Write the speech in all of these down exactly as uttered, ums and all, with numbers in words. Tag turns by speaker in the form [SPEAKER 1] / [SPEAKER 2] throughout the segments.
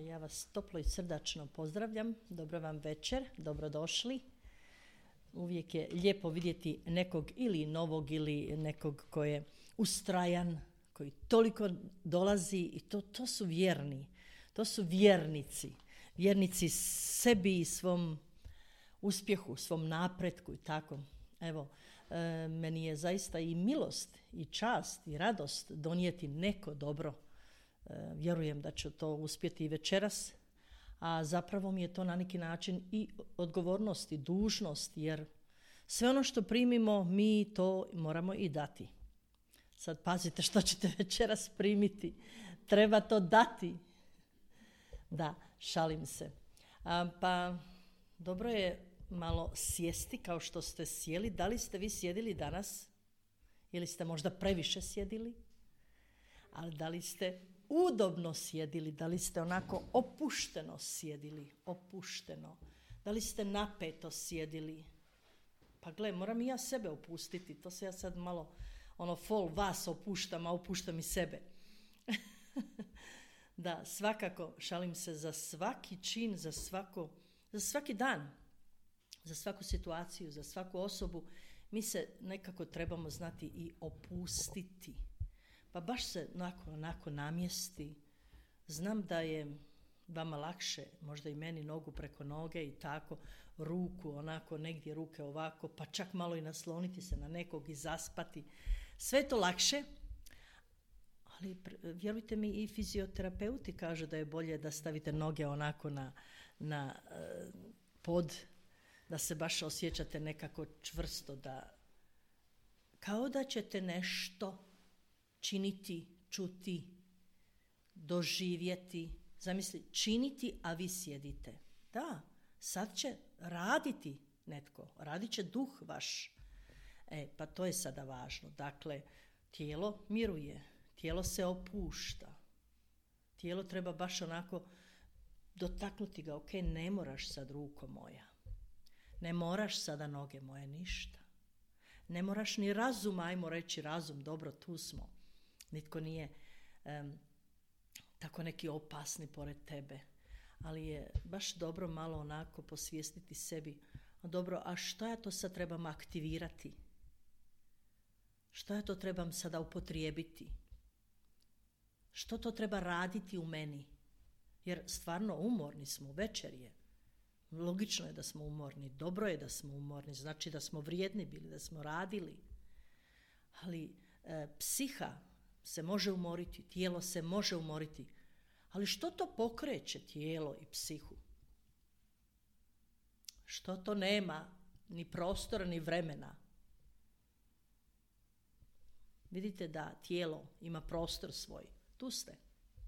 [SPEAKER 1] ja vas toplo i srdačno pozdravljam. Dobro vam večer, dobrodošli. Uvijek je lijepo vidjeti nekog ili novog ili nekog ko je ustrajan, koji toliko dolazi i to, to su vjerni. To su vjernici. Vjernici sebi i svom uspjehu, svom napretku i tako. Evo, e, meni je zaista i milost i čast i radost donijeti neko dobro. E, vjerujem da ću to uspjeti i večeras, a zapravo mi je to na neki način i odgovornost i dužnost, jer sve ono što primimo mi to moramo i dati. Sad pazite što ćete večeras primiti. Treba to dati. Da, šalim se. A, pa dobro je malo sjesti kao što ste sjeli. Da li ste vi sjedili danas? Ili ste možda previše sjedili? Ali da li ste udobno sjedili? Da li ste onako opušteno sjedili? Opušteno. Da li ste napeto sjedili? Pa gle, moram i ja sebe opustiti. To se ja sad malo, ono, fol vas opuštam, a opuštam i sebe. Da, svakako, šalim se, za svaki čin, za, svako, za svaki dan, za svaku situaciju, za svaku osobu, mi se nekako trebamo znati i opustiti. Pa baš se onako, onako namjesti. Znam da je vama lakše, možda i meni, nogu preko noge i tako, ruku onako, negdje ruke ovako, pa čak malo i nasloniti se na nekog i zaspati. Sve je to lakše, ali vjerujte mi, i fizioterapeuti kažu da je bolje da stavite noge onako na, na pod, da se baš osjećate nekako čvrsto, da kao da ćete nešto činiti, čuti, doživjeti. Zamisli, činiti, a vi sjedite. Da, sad će raditi netko, radit će duh vaš. E, pa to je sada važno. Dakle, tijelo miruje, tijelo se opušta. Tijelo treba baš onako dotaknuti ga. Ok, ne moraš sad, ruko moja. Ne moraš sada, noge moje, ništa. Ne moraš ni razum, ajmo reći razum, dobro, tu smo. Nitko nije um, tako neki opasni pored tebe. Ali je baš dobro malo onako posvijestiti sebi. Dobro, a što ja to sad trebam aktivirati? Što ja to trebam sada upotrijebiti? Što to treba raditi u meni? Jer stvarno umorni smo, večer je. Logično je da smo umorni, dobro je da smo umorni, znači da smo vrijedni bili, da smo radili. Ali e, psiha se može umoriti, tijelo se može umoriti. Ali što to pokreće tijelo i psihu? Što to nema ni prostora ni vremena? Vidite da tijelo ima prostor svoj. Tu ste.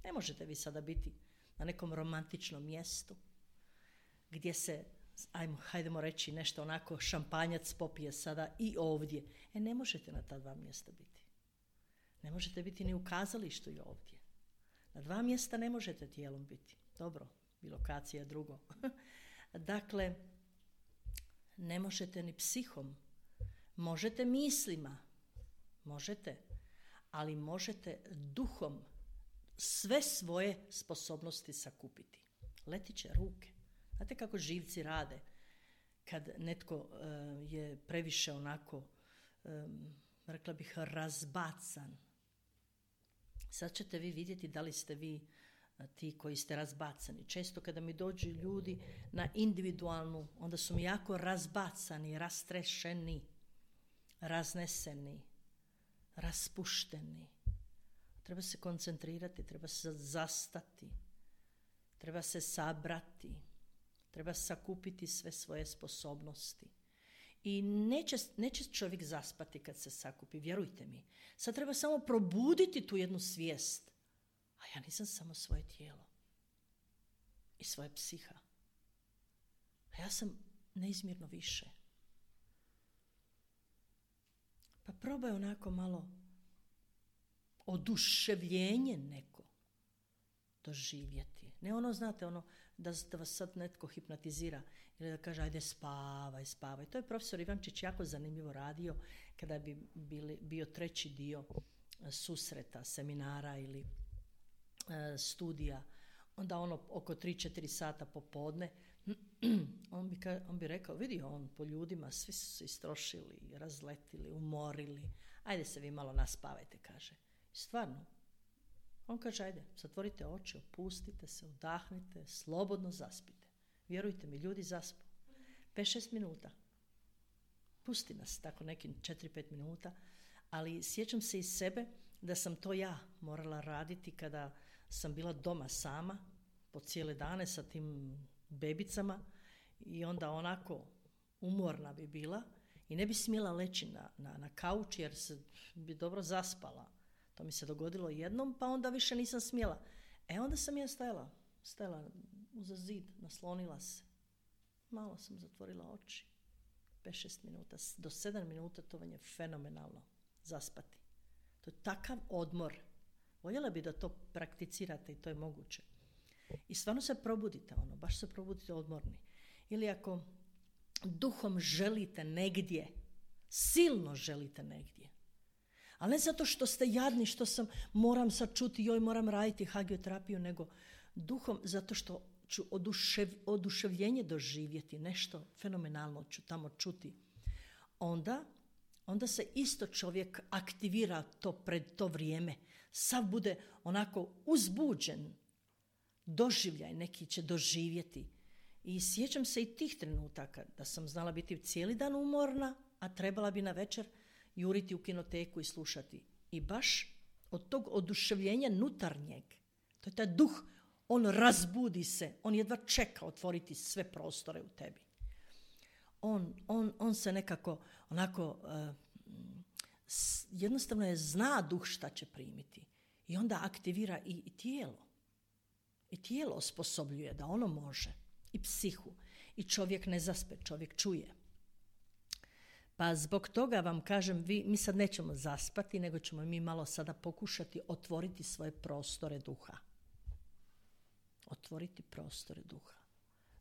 [SPEAKER 1] Ne možete vi sada biti na nekom romantičnom mjestu gdje se, ajmo, hajdemo reći nešto onako, šampanjac popije sada i ovdje. E, ne možete na ta dva mjesta biti. Ne možete biti ni u kazalištu i ovdje. Na dva mjesta ne možete tijelom biti. Dobro, i lokacija drugo. Dakle, ne možete ni psihom. Možete mislima. Možete. Ali možete duhom sve svoje sposobnosti sakupiti. Letit će ruke. Znate kako živci rade kad netko uh, je previše onako, um, rekla bih, razbacan. Sad ćete vi vidjeti da li ste vi uh, ti koji ste razbacani. Često kada mi dođu ljudi na individualnu, onda su mi jako razbacani, rastrešeni, razneseni, raspušteni. Treba se koncentrirati, treba se zastati, treba se sabrati, treba sakupiti sve svoje sposobnosti. I neće, neće čovjek zaspati kad se sakupi, vjerujte mi. Sad treba samo probuditi tu jednu svijest. A ja nisam samo svoje tijelo i svoje psiha. A ja sam neizmjerno više. Pa probaj onako malo oduševljenje neko doživjeti. Ne ono, znate, ono da, da vas sad netko hipnotizira ili da kaže ajde spavaj, spavaj. To je profesor Ivančić jako zanimljivo radio kada bi bili, bio treći dio susreta, seminara ili e, studija onda ono oko tri četiri sata popodne, on bi, on bi rekao, vidi on po ljudima, svi su se istrošili, razletili, umorili, ajde se vi malo naspavajte, kaže. I stvarno, on kaže, ajde, zatvorite oči, opustite se, udahnite, slobodno zaspite. Vjerujte mi, ljudi zaspu. pet šest minuta. Pusti nas tako nekim četiri pet minuta, ali sjećam se iz sebe da sam to ja morala raditi kada sam bila doma sama po cijele dane sa tim bebicama i onda onako umorna bi bila i ne bi smjela leći na, na, na kauč jer se bi dobro zaspala. To mi se dogodilo jednom, pa onda više nisam smjela. E onda sam ja stajala, stajala uza zid, naslonila se. Malo sam zatvorila oči. pet šest minuta, do sedam minuta to vam je fenomenalno zaspati. To je takav odmor. Voljela bi da to prakticirate i to je moguće. I stvarno se probudite, ono, baš se probudite odmorni. Ili ako duhom želite negdje, silno želite negdje, ali ne zato što ste jadni, što sam, moram sad čuti, joj, moram raditi hagioterapiju, nego duhom zato što ću odušev, oduševljenje doživjeti, nešto fenomenalno ću tamo čuti. Onda, onda se isto čovjek aktivira to pred to vrijeme. Sav bude onako uzbuđen, doživljaj neki će doživjeti. I sjećam se i tih trenutaka da sam znala biti cijeli dan umorna, a trebala bi na večer juriti u kinoteku i slušati. I baš od tog oduševljenja nutarnjeg, to je taj duh, on razbudi se, on jedva čeka otvoriti sve prostore u tebi. On, on, on se nekako onako, uh, jednostavno je zna duh šta će primiti. I onda aktivira i, i tijelo. I tijelo osposobljuje da ono može. I psihu. I čovjek ne zaspe, čovjek čuje. Pa zbog toga vam kažem, vi, mi sad nećemo zaspati, nego ćemo mi malo sada pokušati otvoriti svoje prostore duha. Otvoriti prostore duha.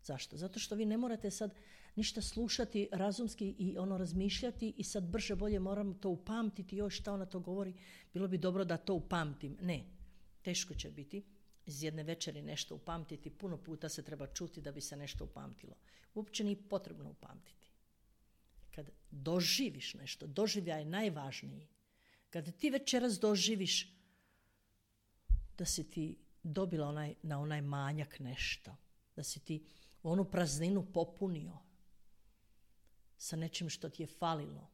[SPEAKER 1] Zašto? Zato što vi ne morate sad ništa slušati razumski i ono razmišljati i sad brže bolje moram to upamtiti, joj šta ona to govori, bilo bi dobro da to upamtim. Ne, teško će biti iz jedne večeri nešto upamtiti, puno puta se treba čuti da bi se nešto upamtilo. Uopće nije potrebno upamtiti. Kad doživiš nešto, doživljaj je najvažniji. Kad ti večeras doživiš da si ti dobila onaj, na onaj manjak nešto, da si ti onu prazninu popunio sa nečim što ti je falilo,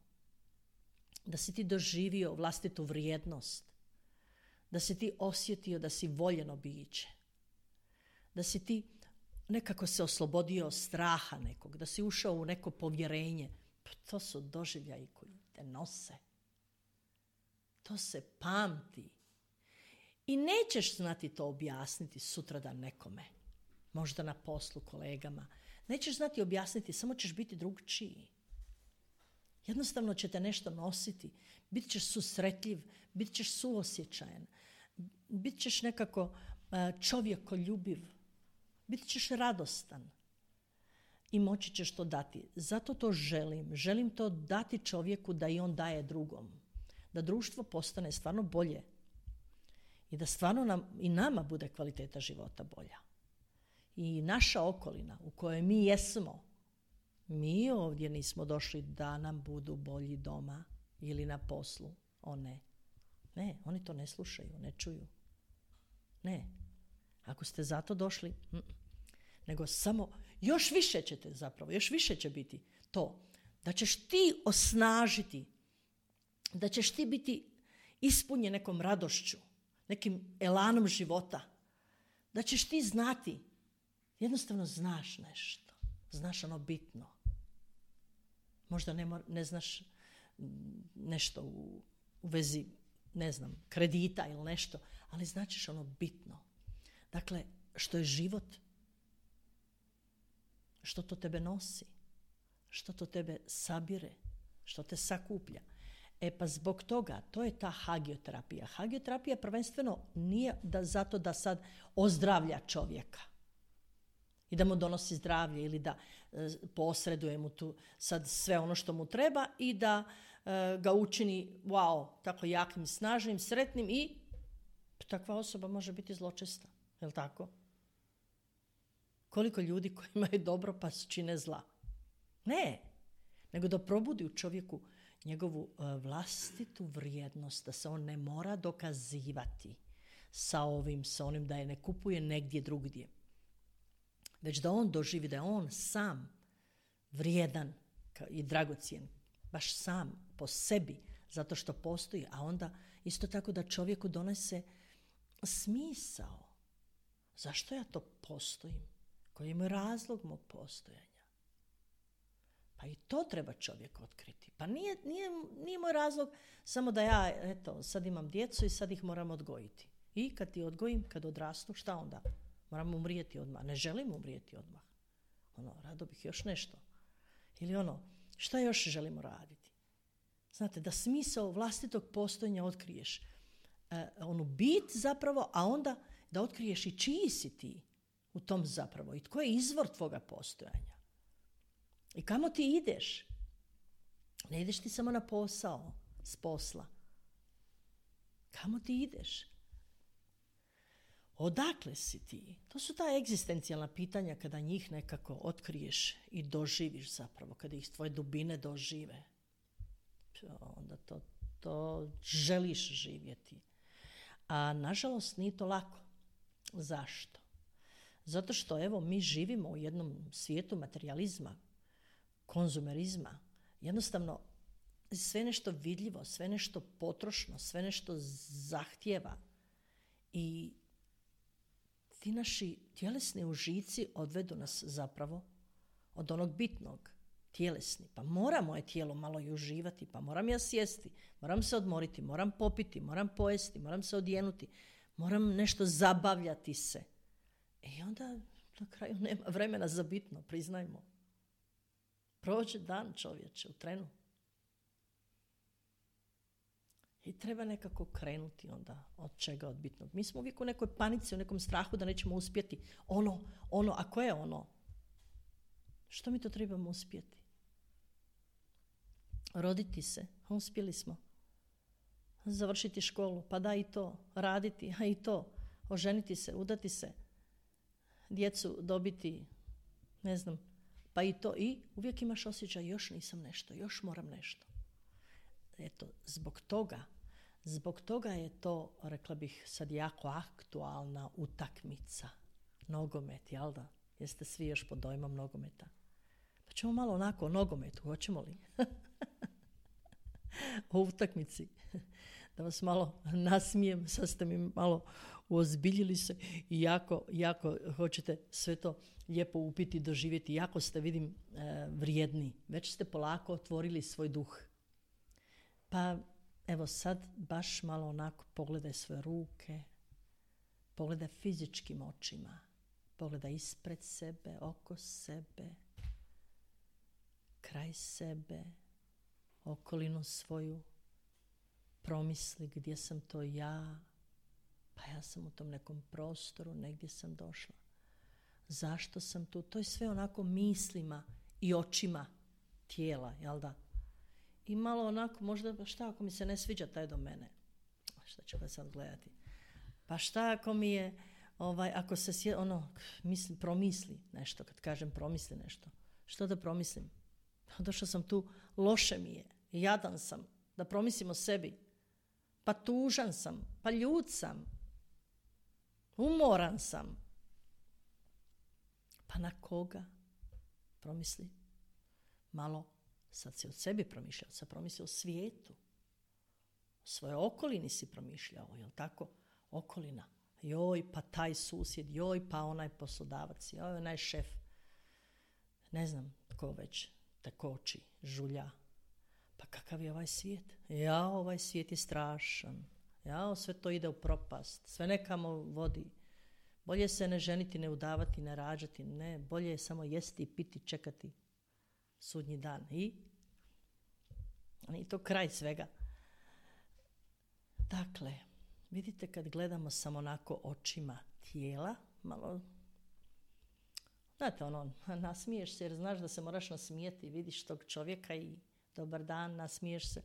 [SPEAKER 1] da si ti doživio vlastitu vrijednost, da si ti osjetio da si voljeno biće, da si ti nekako se oslobodio straha nekog, da si ušao u neko povjerenje. Pa to su doživljaji koji te nose. To se pamti. I nećeš znati to objasniti sutradan nekome, možda na poslu, kolegama. Nećeš znati objasniti, samo ćeš biti drugčiji. Jednostavno će te nešto nositi. Bit ćeš susretljiv, bit ćeš suosjećajan, bit ćeš nekako čovjekoljubiv, bit ćeš radostan i moći ćeš to dati. Zato to želim. Želim to dati čovjeku da i on daje drugom. Da društvo postane stvarno bolje i da stvarno nam, i nama bude kvaliteta života bolja. I naša okolina u kojoj mi jesmo, mi ovdje nismo došli da nam budu bolji doma ili na poslu. O ne. Ne, oni to ne slušaju, ne čuju. Ne. Ako ste zato došli, mm, nego samo, još više ćete zapravo, još više će biti to, da ćeš ti osnažiti, da ćeš ti biti ispunjen nekom radošću, nekim elanom života, da ćeš ti znati, jednostavno znaš nešto, znaš ono bitno. Možda ne, mor, ne znaš nešto u, u vezi, ne znam, kredita ili nešto, ali značiš ono bitno. Dakle, što je život, što to tebe nosi, što to tebe sabire, što te sakuplja. E pa zbog toga, to je ta hagioterapija. Hagioterapija prvenstveno nije da, zato da sad ozdravlja čovjeka i da mu donosi zdravlje ili da e, posreduje mu tu sad sve ono što mu treba i da e, ga učini, wow, tako jakim, snažnim, sretnim i takva osoba može biti zločesta. Je li tako? koliko ljudi koji imaju dobro pa čine zla. Ne, nego da probudi u čovjeku njegovu uh, vlastitu vrijednost, da se on ne mora dokazivati sa ovim, sa onim, da je ne kupuje negdje drugdje. Već da on doživi da je on sam vrijedan i dragocjen, baš sam po sebi, zato što postoji, a onda isto tako da čovjeku donese smisao. Zašto ja to postojim? Koji je moj razlog mog postojanja? Pa i to treba čovjek otkriti. Pa nije, nije, nije moj razlog samo da ja, eto, sad imam djecu i sad ih moram odgojiti. I kad ti odgojim, kad odrastu, šta onda? Moram umrijeti odmah. Ne želim umrijeti odmah. Ono, rado bih još nešto. Ili ono, šta još želimo raditi? Znate, da smisao vlastitog postojanja otkriješ. E, onu bit zapravo, a onda da otkriješ i čiji si ti u tom zapravo. I tko je izvor tvoga postojanja. I kamo ti ideš? Ne ideš ti samo na posao, s posla. Kamo ti ideš? Odakle si ti? To su ta egzistencijalna pitanja kada njih nekako otkriješ i doživiš zapravo, kada ih tvoje dubine dožive. Onda to, to želiš živjeti. A nažalost nije to lako. Zašto? Zato što evo mi živimo u jednom svijetu materijalizma, konzumerizma. Jednostavno sve nešto vidljivo, sve nešto potrošno, sve nešto zahtjeva. I ti naši tjelesni užici odvedu nas zapravo od onog bitnog, tjelesni. Pa mora moje tijelo malo i uživati, pa moram ja sjesti, moram se odmoriti, moram popiti, moram pojesti, moram se odjenuti, moram nešto zabavljati se. I onda na kraju nema vremena za bitno, priznajmo. Prođe dan, čovječe, u trenu. I treba nekako krenuti onda od čega, od bitnog. Mi smo uvijek u nekoj panici, u nekom strahu da nećemo uspjeti. Ono, ono, a koje je ono? Što mi to trebamo uspjeti? Roditi se, uspjeli smo. Završiti školu, pa da i to. Raditi, a i to. Oženiti se, udati se. Djecu dobiti, ne znam, pa i to. I uvijek imaš osjećaj, još nisam nešto, još moram nešto. Eto, zbog toga, zbog toga je to, rekla bih, sad jako aktualna utakmica. Nogomet, jel da? Jeste svi još pod dojmom nogometa? Pa ćemo malo onako o nogometu, hoćemo li? O utakmici. Da vas malo nasmijem, sad ste mi malo uozbiljili se i jako, jako hoćete sve to lijepo upiti, doživjeti. Jako ste, vidim, vrijedni. Već ste polako otvorili svoj duh. Pa evo sad baš malo onako pogledaj svoje ruke, pogledaj fizičkim očima, pogledaj ispred sebe, oko sebe, kraj sebe, okolinu svoju, promisli gdje sam to ja, pa ja sam u tom nekom prostoru, negdje sam došla. Zašto sam tu? To je sve onako mislima i očima tijela, jel da? I malo onako, možda, šta ako mi se ne sviđa taj do mene? Šta ću ga sad gledati? Pa šta ako mi je, ovaj, ako se sje, ono, misli, promisli nešto, kad kažem promisli nešto. Što da promislim? Došla sam tu, loše mi je, jadan sam, da promislim o sebi. Pa tužan sam, pa ljut sam, umoran sam. Pa na koga? Promisli malo. Sad si od sebi promišljao, sad promisli o svijetu. O svojoj okolini si promišljao, jel tako? Okolina. Joj, pa taj susjed, joj, pa onaj poslodavac, joj, onaj šef. Ne znam tko već te koči, žulja. Pa kakav je ovaj svijet? Ja, ovaj svijet je strašan. Ja, sve to ide u propast. Sve nekamo vodi. Bolje se ne ženiti, ne udavati, ne rađati. Ne, bolje je samo jesti i piti, čekati sudnji dan. I, i to kraj svega. Dakle, vidite kad gledamo samo onako očima tijela, malo, znate ono, nasmiješ se jer znaš da se moraš nasmijeti, vidiš tog čovjeka i dobar dan, nasmiješ se.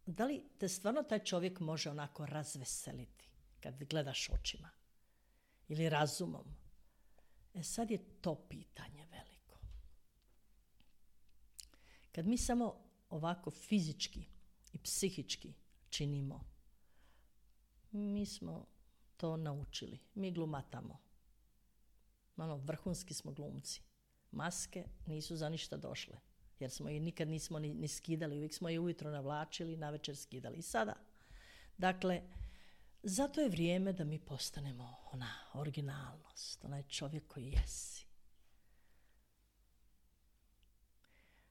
[SPEAKER 1] Da li te stvarno taj čovjek može onako razveseliti kad gledaš očima? Ili razumom? E sad je to pitanje veliko. Kad mi samo ovako fizički i psihički činimo, mi smo to naučili. Mi glumatamo. Ono, vrhunski smo glumci. Maske nisu za ništa došle. Jer smo je nikad nismo ni, ni skidali. Uvijek smo je ujutro navlačili, navečer skidali. I sada. Dakle, zato je vrijeme da mi postanemo ona originalnost. Onaj čovjek koji jesi.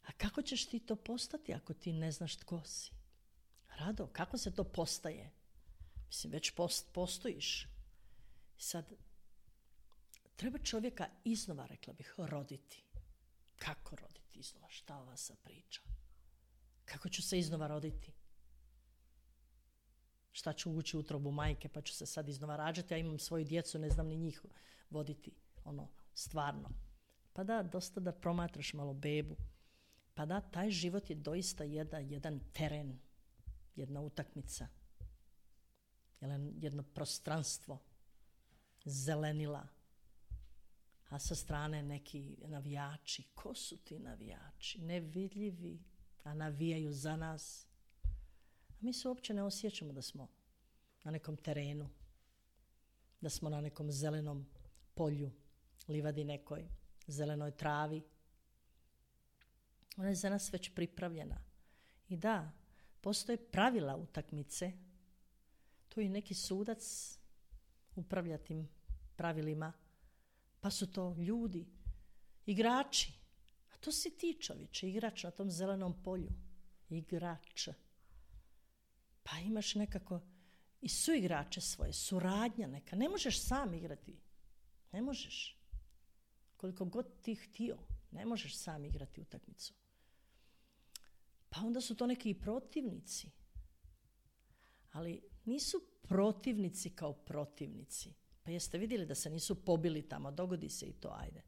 [SPEAKER 1] A kako ćeš ti to postati ako ti ne znaš tko si? Rado, kako se to postaje? Mislim, već post, postojiš. Sad, treba čovjeka iznova, rekla bih, roditi. Kako roditi iznova? Šta ova sa priča? Kako ću se iznova roditi? Šta ću ući u utrobu majke pa ću se sad iznova rađati, ja imam svoju djecu, ne znam ni njih voditi, ono, stvarno. Pa da, dosta da promatraš malo bebu. Pa da, taj život je doista jedan, jedan teren, jedna utakmica, jedno prostranstvo, zelenila, a sa strane neki navijači. Ko su ti navijači? Nevidljivi, a navijaju za nas. A mi se uopće ne osjećamo da smo na nekom terenu, da smo na nekom zelenom polju, livadi nekoj, zelenoj travi. Ona je za nas već pripravljena. I da, postoje pravila utakmice. Tu je neki sudac upravlja tim pravilima, pa su to ljudi, igrači. A to si ti, čovječe, igrač na tom zelenom polju. Igrač. Pa imaš nekako i suigrače svoje, suradnja neka. Ne možeš sam igrati. Ne možeš. Koliko god ti htio, ne možeš sam igrati utakmicu. Pa onda su to neki protivnici. Ali nisu protivnici kao protivnici. Pa jeste vidjeli da se nisu pobili tamo, dogodi se i to, ajde.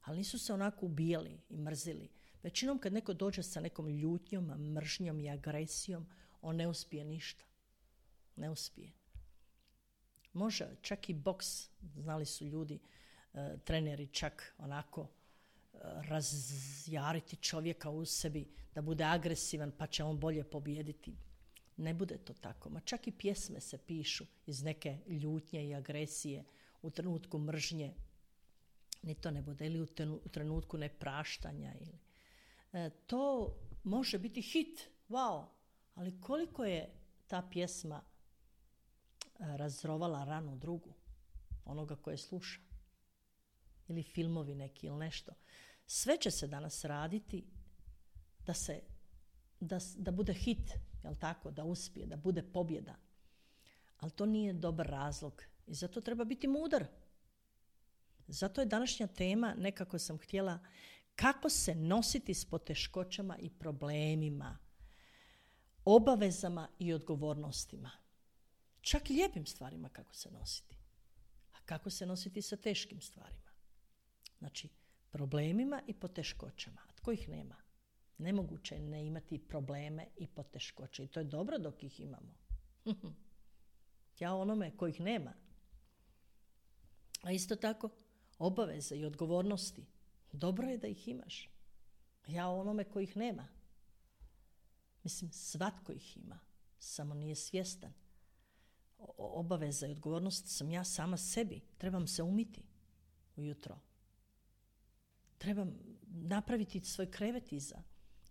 [SPEAKER 1] Ali nisu se onako ubijali i mrzili. Većinom kad neko dođe sa nekom ljutnjom, mržnjom i agresijom, on ne uspije ništa. Ne uspije. Može, čak i boks, znali su ljudi, e, treneri čak onako e, razjariti čovjeka u sebi, da bude agresivan pa će on bolje pobijediti. Ne bude to tako. Ma čak i pjesme se pišu iz neke ljutnje i agresije u trenutku mržnje. Ni to ne bude. Ili u trenutku nepraštanja. Ili. E, to može biti hit. Wow. Ali koliko je ta pjesma razrovala ranu drugu, onoga koje sluša. Ili filmovi neki ili nešto. Sve će se danas raditi da se da, da bude hit, jel tako, da uspije, da bude pobjeda. Ali to nije dobar razlog i zato treba biti mudar. Zato je današnja tema, nekako sam htjela, kako se nositi s poteškoćama i problemima, obavezama i odgovornostima. Čak i lijepim stvarima kako se nositi. A kako se nositi sa teškim stvarima. Znači, problemima i poteškoćama. A tko ih nema? Nemoguće je ne imati probleme i poteškoće. I to je dobro dok ih imamo. Ja onome kojih nema. A isto tako, obaveze i odgovornosti. Dobro je da ih imaš. Ja onome kojih nema. Mislim, svatko ih ima. Samo nije svjestan. O- obaveza i odgovornost sam ja sama sebi. Trebam se umiti ujutro. Trebam napraviti svoj krevet iza.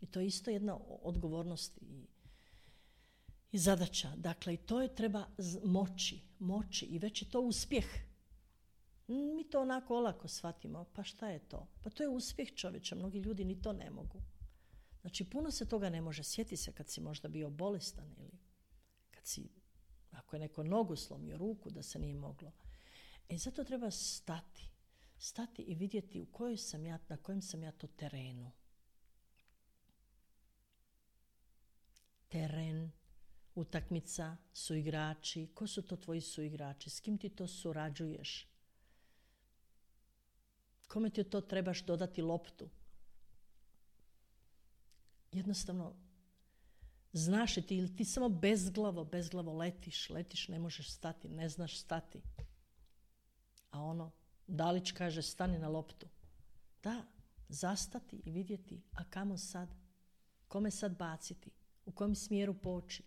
[SPEAKER 1] I to je isto jedna odgovornost i, i zadaća. Dakle, i to je treba moći, moći i već je to uspjeh. Mi to onako olako shvatimo. Pa šta je to? Pa to je uspjeh čovječa. Mnogi ljudi ni to ne mogu. Znači, puno se toga ne može. Sjeti se kad si možda bio bolestan ili kad si, ako je neko nogu slomio, ruku, da se nije moglo. E, zato treba stati. Stati i vidjeti u kojoj sam ja, na kojem sam ja to terenu. Teren, utakmica, suigrači. Ko su to tvoji suigrači? S kim ti to surađuješ? Kome ti to trebaš dodati loptu? Jednostavno, znaš ti ili ti samo bezglavo, bezglavo letiš, letiš, ne možeš stati, ne znaš stati. A ono, Dalić kaže stani na loptu. Da, zastati i vidjeti, a kamo sad? Kome sad baciti? U kojem smjeru poći?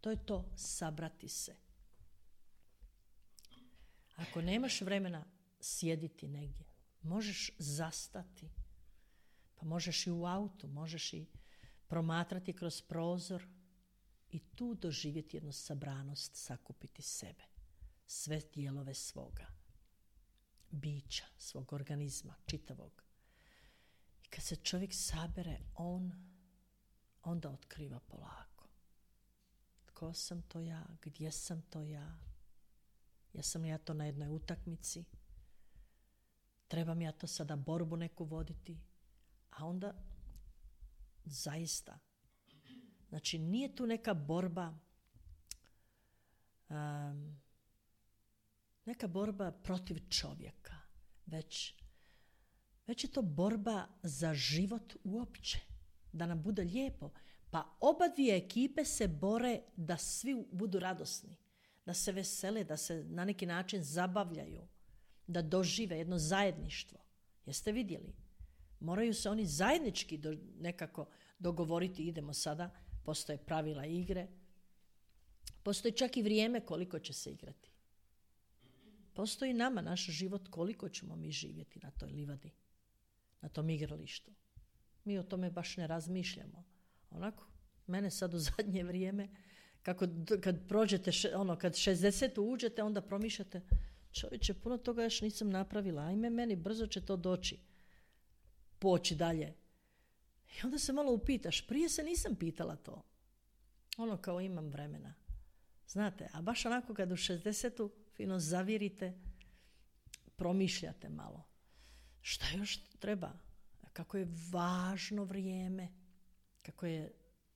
[SPEAKER 1] To je to, sabrati se. Ako nemaš vremena sjediti negdje, možeš zastati. Pa možeš i u autu, možeš i promatrati kroz prozor i tu doživjeti jednu sabranost, sakupiti sebe, sve dijelove svoga bića, svog organizma, čitavog. I kad se čovjek sabere, on onda otkriva polako. Tko sam to ja? Gdje sam to ja? Jesam li ja to na jednoj utakmici? Trebam ja to sada borbu neku voditi? A onda zaista, znači nije tu neka borba, um, neka borba protiv čovjeka, već, već je to borba za život uopće, da nam bude lijepo. Pa oba dvije ekipe se bore da svi budu radosni, da se vesele, da se na neki način zabavljaju, da dožive jedno zajedništvo. Jeste vidjeli? Moraju se oni zajednički do, nekako dogovoriti, idemo sada, postoje pravila igre, postoji čak i vrijeme koliko će se igrati. Postoji nama, naš život, koliko ćemo mi živjeti na toj livadi, na tom igralištu. Mi o tome baš ne razmišljamo. Onako, mene sad u zadnje vrijeme, kako kad prođete, ono, kad šezdesetu uđete, onda promišljate, čovječe, puno toga još nisam napravila, ajme meni, brzo će to doći, poći dalje. I onda se malo upitaš, prije se nisam pitala to. Ono kao imam vremena. Znate, a baš onako kad u šezdesetu fino zavirite, promišljate malo. Šta još treba? Kako je važno vrijeme, kako je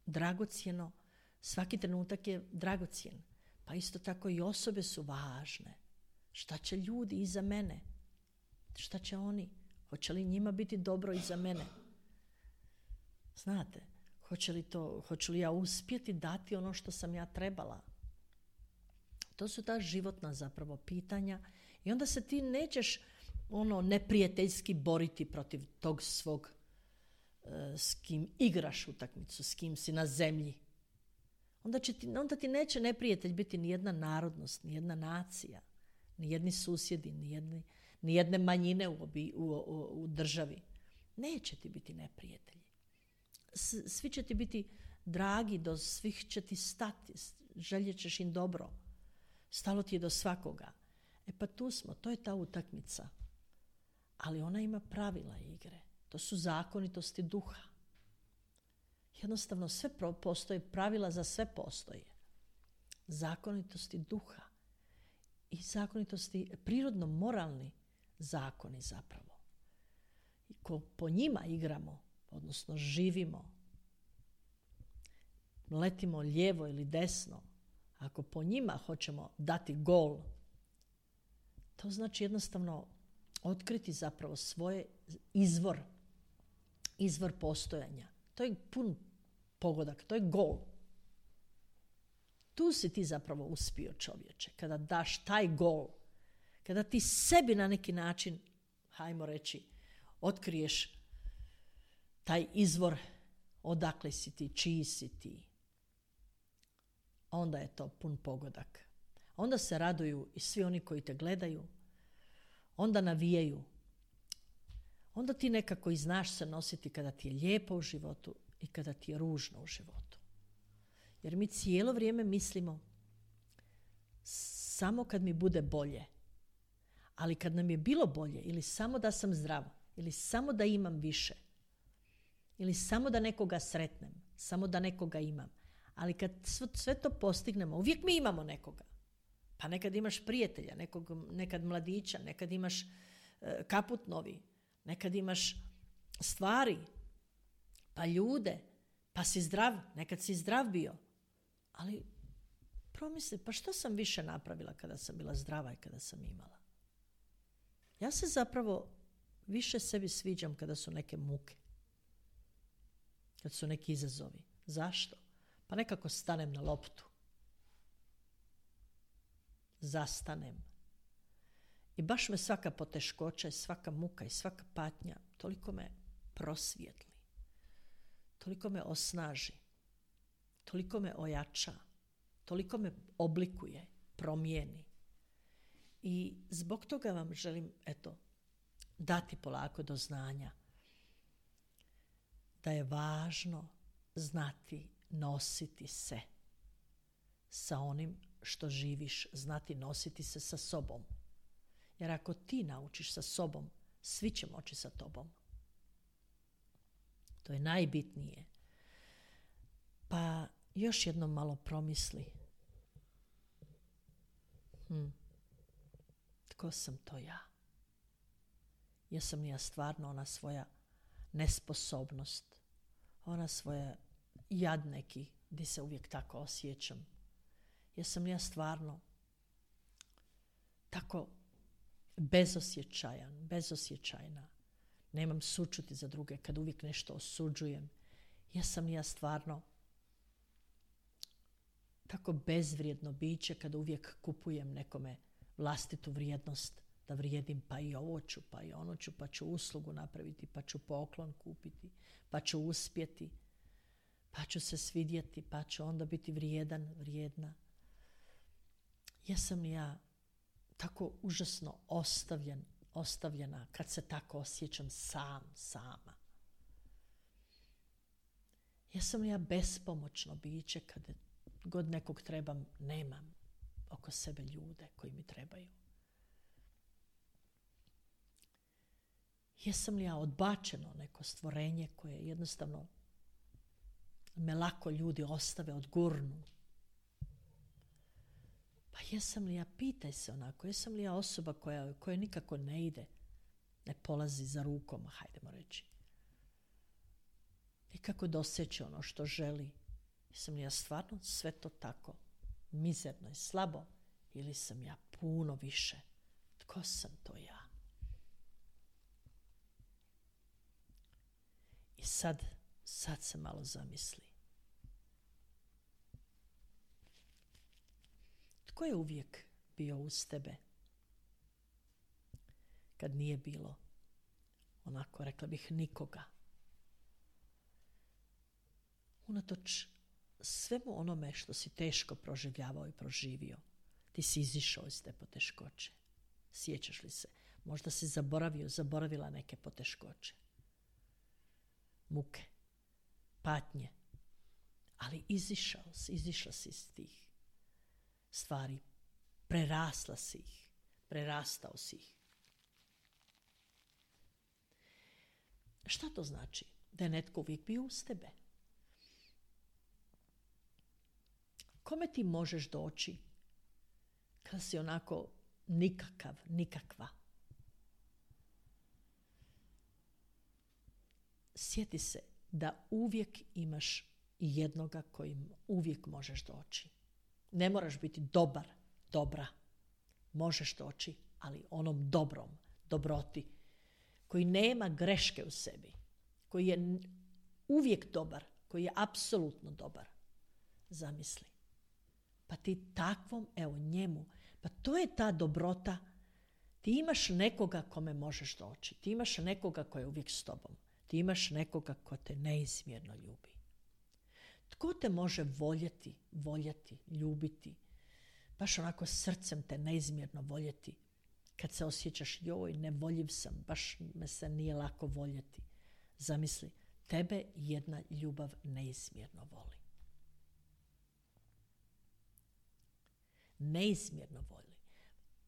[SPEAKER 1] dragocjeno. Svaki trenutak je dragocjen. Pa isto tako i osobe su važne. Šta će ljudi iza mene? Šta će oni? Hoće li njima biti dobro iza mene? Znate, hoće li, to, hoće li ja uspjeti dati ono što sam ja trebala? To su ta životna zapravo pitanja i onda se ti nećeš ono neprijateljski boriti protiv tog svog e, s kim igraš utakmicu, s kim si na zemlji. Onda, će ti, onda ti neće neprijatelj biti ni jedna narodnost, ni jedna nacija, ni jedni susjedi, ni, jedni, ni jedne manjine u, obi, u, u, u državi. Neće ti biti neprijatelji. S, svi će ti biti dragi, do svih će ti stati, željet ćeš im dobro. Stalo ti je do svakoga. E pa tu smo, to je ta utakmica. Ali ona ima pravila igre. To su zakonitosti duha. Jednostavno sve postoje, pravila za sve postoje. Zakonitosti duha i zakonitosti, prirodno moralni zakoni zapravo. I ko po njima igramo, odnosno živimo, letimo lijevo ili desno, ako po njima hoćemo dati gol, to znači jednostavno otkriti zapravo svoje izvor, izvor postojanja. To je pun pogodak, to je gol. Tu si ti zapravo uspio, čovječe, kada daš taj gol, kada ti sebi na neki način, hajmo reći, otkriješ taj izvor, odakle si ti, čiji si ti, onda je to pun pogodak. Onda se raduju i svi oni koji te gledaju, onda navijaju. Onda ti nekako i znaš se nositi kada ti je lijepo u životu i kada ti je ružno u životu. Jer mi cijelo vrijeme mislimo samo kad mi bude bolje. Ali kad nam je bilo bolje, ili samo da sam zdrav, ili samo da imam više, ili samo da nekoga sretnem, samo da nekoga imam. Ali kad sve to postignemo, uvijek mi imamo nekoga. Pa nekad imaš prijatelja, nekog, nekad mladića, nekad imaš e, kaput novi, nekad imaš stvari, pa ljude, pa si zdrav, nekad si zdrav bio. Ali promisli, pa što sam više napravila kada sam bila zdrava i kada sam imala? Ja se zapravo više sebi sviđam kada su neke muke, kad su neki izazovi. Zašto? Pa nekako stanem na loptu. Zastanem. I baš me svaka poteškoća i svaka muka i svaka patnja toliko me prosvijetli, toliko me osnaži, toliko me ojača, toliko me oblikuje, promijeni. I zbog toga vam želim, eto, dati polako do znanja da je važno znati nositi se sa onim što živiš, znati nositi se sa sobom. Jer ako ti naučiš sa sobom, svi će moći sa tobom. To je najbitnije. Pa još jednom malo promisli. Hm. Tko sam to ja? Jesam li ja stvarno ona svoja nesposobnost, ona svoja jad neki, gdje se uvijek tako osjećam? Jesam li ja stvarno tako bezosjećajan, bezosjećajna? Nemam sućuti za druge kad uvijek nešto osuđujem. Jesam li ja stvarno tako bezvrijedno biće kad uvijek kupujem nekome vlastitu vrijednost, da vrijedim pa i ovo ću, pa i ono ću, pa ću uslugu napraviti, pa ću poklon kupiti, pa ću uspjeti, pa ću se svidjeti, pa ću onda biti vrijedan, vrijedna. Jesam li ja tako užasno ostavljen, ostavljena kad se tako osjećam sam, sama? Jesam li ja bespomoćno biće kad god nekog trebam, nemam oko sebe ljude koji mi trebaju? Jesam li ja odbačeno neko stvorenje koje jednostavno me lako ljudi ostave, odgurnu? Pa jesam li ja, pitaj se onako, jesam li ja osoba koja, koja nikako ne ide, ne polazi za rukom, hajdemo reći. Nikako doseće ono što želi. Jesam li ja stvarno sve to tako mizerno i slabo, ili sam ja puno više? Tko sam to ja? I sad, sad se malo zamisli. Tko je uvijek bio uz tebe kad nije bilo, onako rekla bih, nikoga? Unatoč svemu onome što si teško proživljavao i proživio, ti si izišao iz te poteškoće. Sjećaš li se? Možda si zaboravio, zaboravila neke poteškoće, muke, patnje, ali izišao si, izišla si iz tih stvari, prerasla si ih, prerastao si ih. Šta to znači? Da je netko uvijek bio uz tebe. Kome ti možeš doći kad si onako nikakav, nikakva? Sjeti se da uvijek imaš jednoga kojim uvijek možeš doći. Ne moraš biti dobar, dobra. Možeš doći, ali onom dobrom, dobroti, koji nema greške u sebi, koji je uvijek dobar, koji je apsolutno dobar. Zamisli. Pa ti takvom, evo njemu, pa to je ta dobrota. Ti imaš nekoga kome možeš doći. Ti imaš nekoga koji je uvijek s tobom. Ti imaš nekoga ko te neizmjerno ljubi. Tko te može voljeti, voljeti, ljubiti, baš onako srcem te neizmjerno voljeti, kad se osjećaš, joj, nevoljiv sam, baš me se nije lako voljeti. Zamisli, tebe jedna ljubav neizmjerno voli. Neizmjerno voli.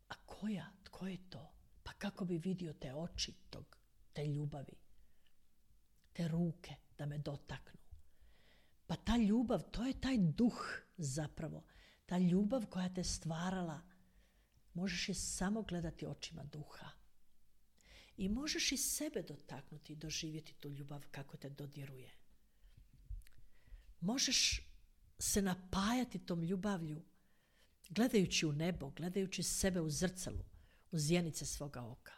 [SPEAKER 1] A koja? Tko je to? Pa kako bi vidio te oči tog, te ljubavi, te ruke da me dotaknu? Pa ta ljubav, to je taj duh zapravo. Ta ljubav koja te stvarala, možeš je samo gledati očima duha. I možeš i sebe dotaknuti i doživjeti tu ljubav kako te dodiruje. Možeš se napajati tom ljubavlju, gledajući u nebo, gledajući sebe u zrcalu, u zjenice svoga oka.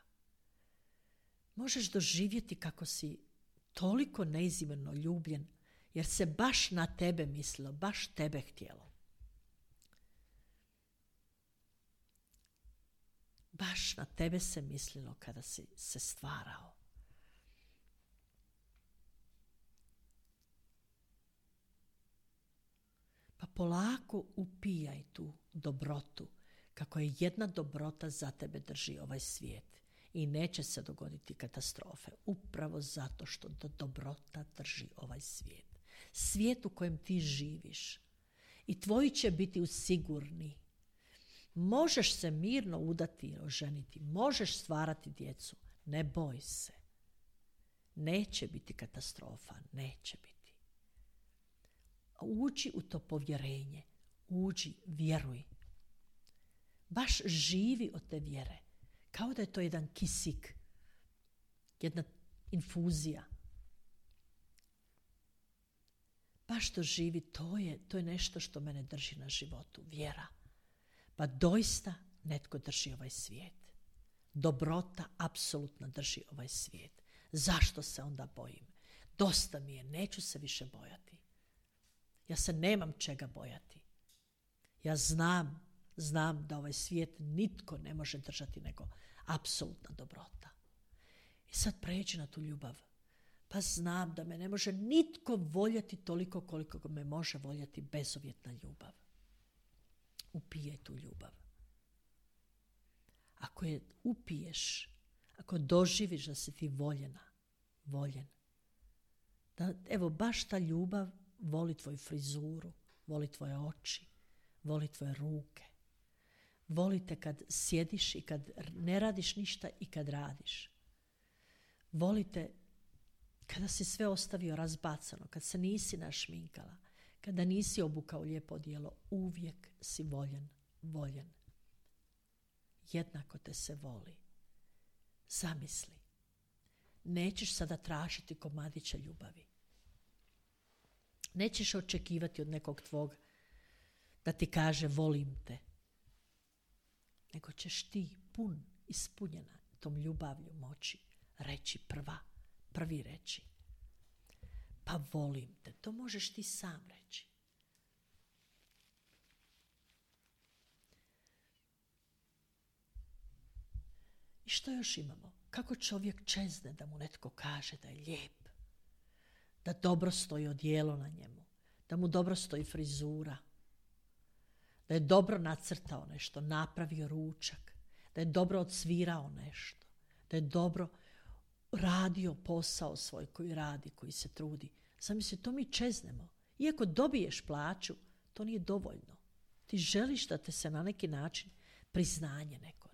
[SPEAKER 1] Možeš doživjeti kako si toliko neizmjerno ljubljen, jer se baš na tebe mislilo, baš tebe htjelo. Baš na tebe se mislilo kada si se stvarao. Pa polako upijaj tu dobrotu, kako je jedna dobrota za tebe drži ovaj svijet. I neće se dogoditi katastrofe, upravo zato što do dobrota drži ovaj svijet. Svijet u kojem ti živiš. I tvoji će biti sigurni. Možeš se mirno udati i oženiti. Možeš stvarati djecu. Ne boj se. Neće biti katastrofa. Neće biti. Uđi u to povjerenje. Uđi, vjeruj. Baš živi od te vjere. Kao da je to jedan kisik. Jedna infuzija. Baš to živi. To je, to je nešto što mene drži na životu. Vjera. Pa doista netko drži ovaj svijet. Dobrota apsolutno drži ovaj svijet. Zašto se onda bojim? Dosta mi je, neću se više bojati. Ja se nemam čega bojati. Ja znam, znam da ovaj svijet nitko ne može držati nego apsolutna dobrota. I sad pređi na tu ljubav. Pa znam da me ne može nitko voljeti toliko koliko me može voljeti bezuvjetna ljubav. Upijaj tu ljubav. Ako je upiješ, ako doživiš da si ti voljena, voljen, da evo baš ta ljubav voli tvoju frizuru, voli tvoje oči, voli tvoje ruke, voli te kad sjediš i kad ne radiš ništa i kad radiš. Voli te kada si sve ostavio razbacano, kad se nisi našminkala, kada nisi obukao lijepo odijelo, uvijek si voljen, voljen. Jednako te se voli. Zamisli. Nećeš sada tražiti komadića ljubavi. Nećeš očekivati od nekog tvog da ti kaže volim te. Nego ćeš ti pun, ispunjena tom ljubavlju moći reći prva, prvi reći. Pa volim te. To možeš ti sam reći. I što još imamo? Kako čovjek čezne da mu netko kaže da je lijep, da dobro stoji odijelo na njemu, da mu dobro stoji frizura, da je dobro nacrtao nešto, napravio ručak, da je dobro odsvirao nešto, da je dobro radio posao svoj koji radi, koji se trudi. Zamisli, to mi čeznemo. Iako dobiješ plaću, to nije dovoljno. Ti želiš da te se na neki način priznanje neko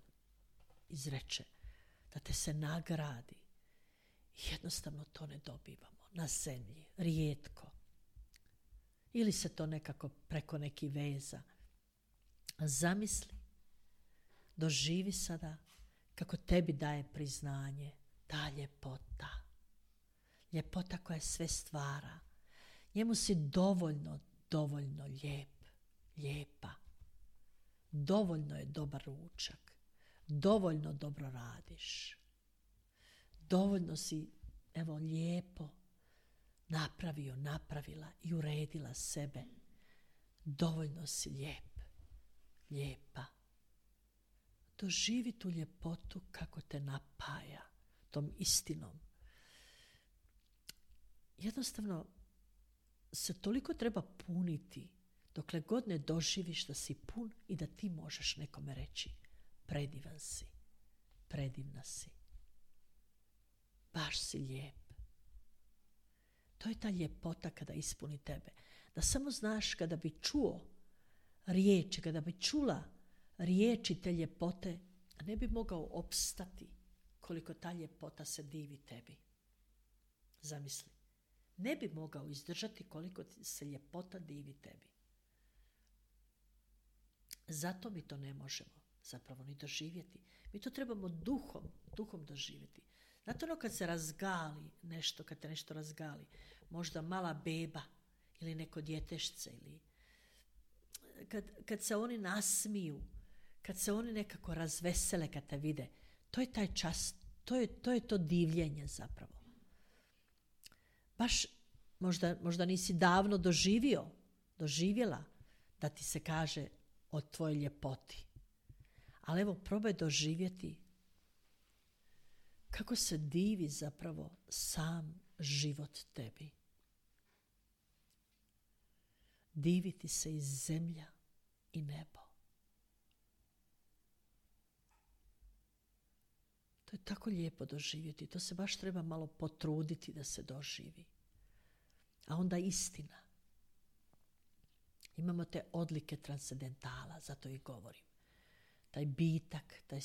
[SPEAKER 1] izreče, da te se nagradi. Jednostavno to ne dobivamo na zemlji, rijetko. Ili se to nekako preko nekih veza. A zamisli, doživi sada kako tebi daje priznanje ta ljepota. Ljepota koja sve stvara. Njemu si dovoljno, dovoljno lijep, lijepa. Dovoljno je dobar ručak. Dovoljno dobro radiš. Dovoljno si, evo, lijepo napravio, napravila i uredila sebe. Dovoljno si lijep, lijepa. Doživi tu ljepotu kako te napaja tom istinom. Jednostavno se toliko treba puniti dokle god ne doživiš da si pun i da ti možeš nekome reći predivan si, predivna si, baš si lijep. To je ta ljepota kada ispuni tebe. Da samo znaš kada bi čuo riječi, kada bi čula riječi te ljepote, ne bi mogao opstati koliko ta ljepota se divi tebi. Zamisli. Ne bi mogao izdržati koliko se ljepota divi tebi. Zato mi to ne možemo zapravo ni doživjeti. Mi to trebamo duhom, duhom doživjeti. Znate ono kad se razgali nešto, kad te nešto razgali, možda mala beba ili neko djetešce ili kad, kad se oni nasmiju, kad se oni nekako razvesele kad te vide, to je taj čas, to je to, je to divljenje zapravo. Baš možda, možda nisi davno doživio, doživjela da ti se kaže o tvojoj ljepoti. Ali evo, probaj doživjeti kako se divi zapravo sam život tebi. Diviti se i zemlja i nebo. To je tako lijepo doživjeti. To se baš treba malo potruditi da se doživi. A onda istina. Imamo te odlike transcendentala, zato i govorim. Taj bitak, taj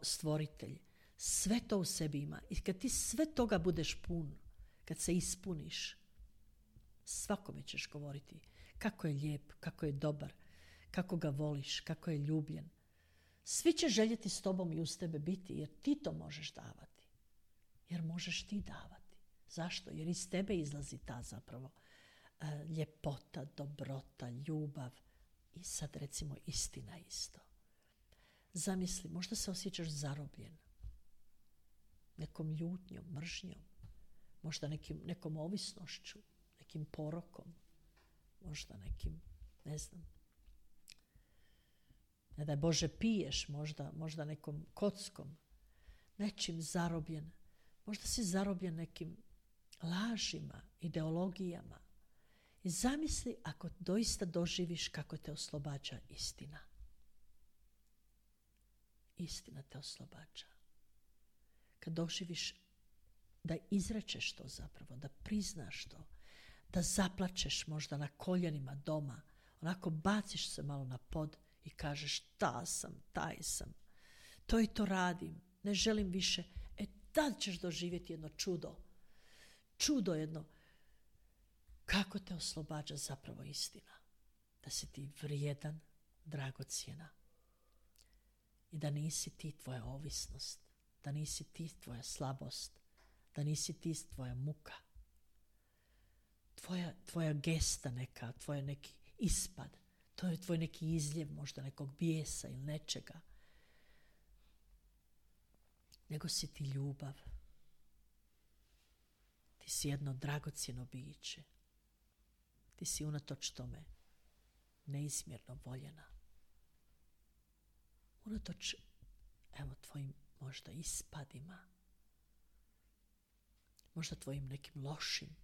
[SPEAKER 1] stvoritelj, sve to u sebi ima. I kad ti sve toga budeš pun, kad se ispuniš, svakome ćeš govoriti kako je lijep, kako je dobar, kako ga voliš, kako je ljubljen. Svi će željeti s tobom i uz tebe biti, jer ti to možeš davati. Jer možeš ti davati. Zašto? Jer iz tebe izlazi ta zapravo uh, ljepota, dobrota, ljubav i sad recimo istina isto. Zamisli, možda se osjećaš zarobljen nekom ljutnjom, mržnjom, možda nekim, nekom ovisnošću, nekim porokom, možda nekim, ne znam, ne daj Bože piješ, možda, možda nekom kockom, nečim zarobljen, možda si zarobljen nekim lažima, ideologijama. I zamisli ako doista doživiš kako te oslobađa istina. Istina te oslobađa. Kad doživiš da izrečeš to zapravo, da priznaš to, da zaplačeš možda na koljenima doma, onako baciš se malo na pod i kažeš ta sam, taj sam, to i to radim, ne želim više. E tad ćeš doživjeti jedno čudo. Čudo jedno. Kako te oslobađa zapravo istina. Da si ti vrijedan, dragocjena. I da nisi ti tvoja ovisnost. Da nisi ti tvoja slabost. Da nisi ti tvoja muka. Tvoja, tvoja gesta neka, tvoj neki ispad. To je tvoj neki izljev možda nekog bijesa ili nečega. Nego si ti ljubav. Ti si jedno dragocjeno biće. Ti si unatoč tome neizmjerno voljena. Unatoč, evo, tvojim možda ispadima. Možda tvojim nekim lošim,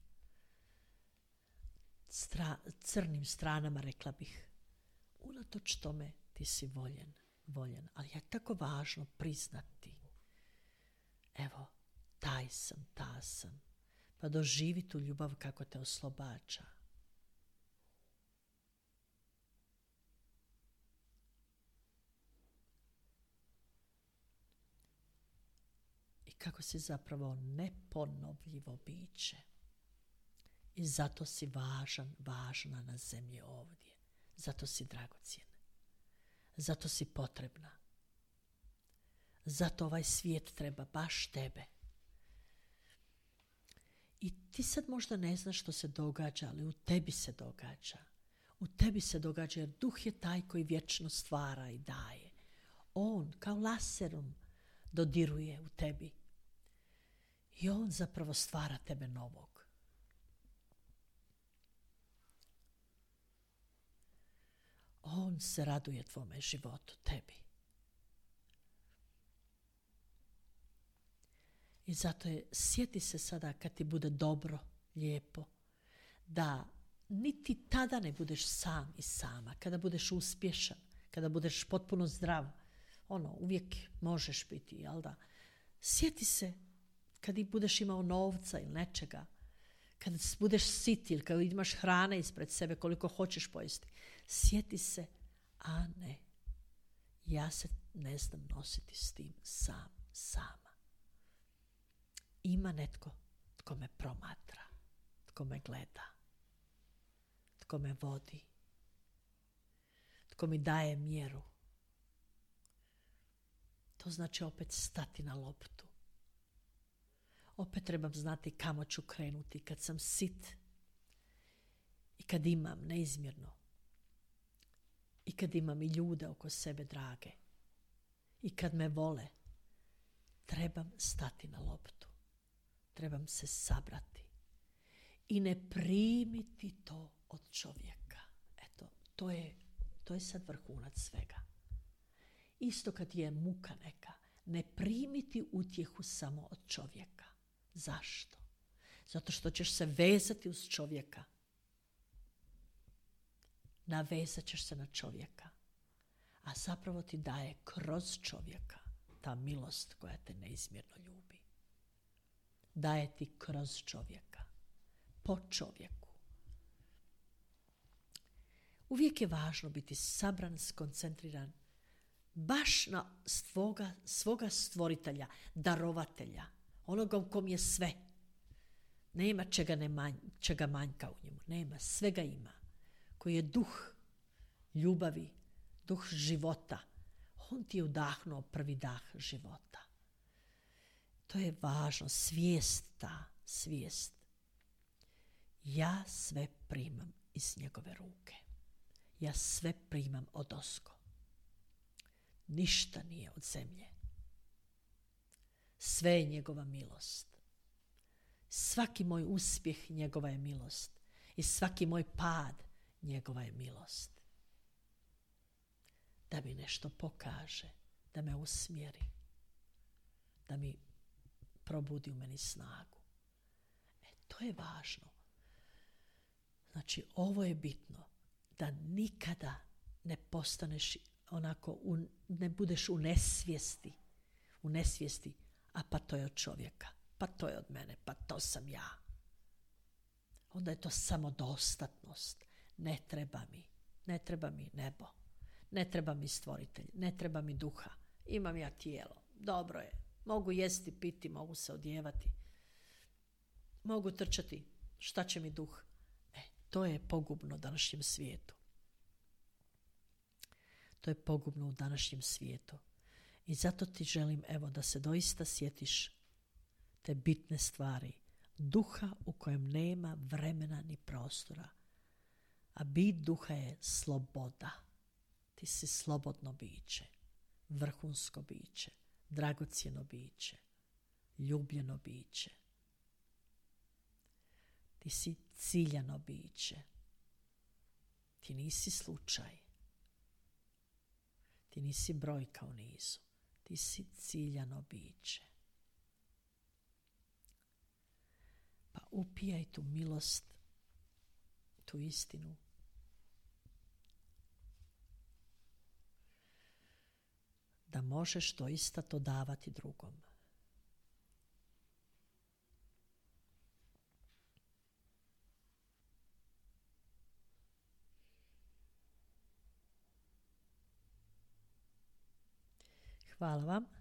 [SPEAKER 1] stra, crnim stranama, rekla bih. Unatoč tome ti si voljen, voljen. Ali je tako važno priznati. Evo, taj sam, ta sam. Pa doživi tu ljubav kako te oslobađa. I kako si zapravo neponovljivo biće. I zato si važan, važna na zemlji ovdje. Zato si dragocjena. Zato si potrebna. Zato ovaj svijet treba baš tebe. I ti sad možda ne znaš što se događa, ali u tebi se događa. U tebi se događa jer duh je taj koji vječno stvara i daje. On kao laserom dodiruje u tebi. I on zapravo stvara tebe novog. On se raduje tvome životu, tebi. I zato je, sjeti se sada kad ti bude dobro, lijepo, da niti tada ne budeš sam i sama, kada budeš uspješan, kada budeš potpuno zdrav, ono, uvijek možeš biti, jel da? Sjeti se kad i budeš imao novca ili nečega, kad budeš sit ili kad imaš hrane ispred sebe koliko hoćeš pojesti. Sjeti se, a ne, ja se ne znam nositi s tim sam, sama. Ima netko tko me promatra, tko me gleda, tko me vodi, tko mi daje mjeru. To znači opet stati na loptu. Opet trebam znati kamo ću krenuti kad sam sit i kad imam neizmjerno. I kad imam i ljude oko sebe drage. I kad me vole. Trebam stati na loptu. Trebam se sabrati. I ne primiti to od čovjeka. Eto, to je, to je sad vrhunac svega.
[SPEAKER 2] Isto kad je muka neka, ne primiti utjehu samo od čovjeka. Zašto? Zato što ćeš se vezati uz čovjeka. Navezat ćeš se na čovjeka. A zapravo ti daje kroz čovjeka ta milost koja te neizmjerno ljubi. Daje ti kroz čovjeka. Po čovjeku. Uvijek je važno biti sabran, skoncentriran baš na svoga, svoga stvoritelja, darovatelja, onoga u kom je sve. Nema čega, ne manj, čega manjka u njemu. Nema, svega ima. Koji je duh ljubavi, duh života. On ti je udahnuo prvi dah života. To je važno, svijest ta, svijest. Ja sve primam iz njegove ruke. Ja sve primam od ozgo. Ništa nije od zemlje. Sve je njegova milost. Svaki moj uspjeh njegova je milost. I svaki moj pad njegova je milost. Da mi nešto pokaže, da me usmjeri, da mi probudi u meni snagu. E, to je važno. Znači, ovo je bitno, da nikada ne postaneš onako, u, ne budeš u nesvijesti, u nesvijesti, a pa to je od čovjeka, pa to je od mene, pa to sam ja. Onda je to samodostatnost. Ne treba mi, ne treba mi nebo, ne treba mi stvoritelj, ne treba mi duha. Imam ja tijelo, dobro je, mogu jesti, piti, mogu se odjevati, mogu trčati, šta će mi duh? E, to je pogubno u današnjem svijetu. To je pogubno u današnjem svijetu. I zato ti želim, evo, da se doista sjetiš te bitne stvari. Duha u kojem nema vremena ni prostora. A bit duha je sloboda. Ti si slobodno biće, vrhunsko biće, dragocjeno biće, ljubljeno biće. Ti si ciljano biće. Ti nisi slučaj. Ti nisi brojka u nizu. Ti si ciljano biće. Pa upijaj tu milost, tu istinu. Da možeš doista to davati drugom. Hvala vam.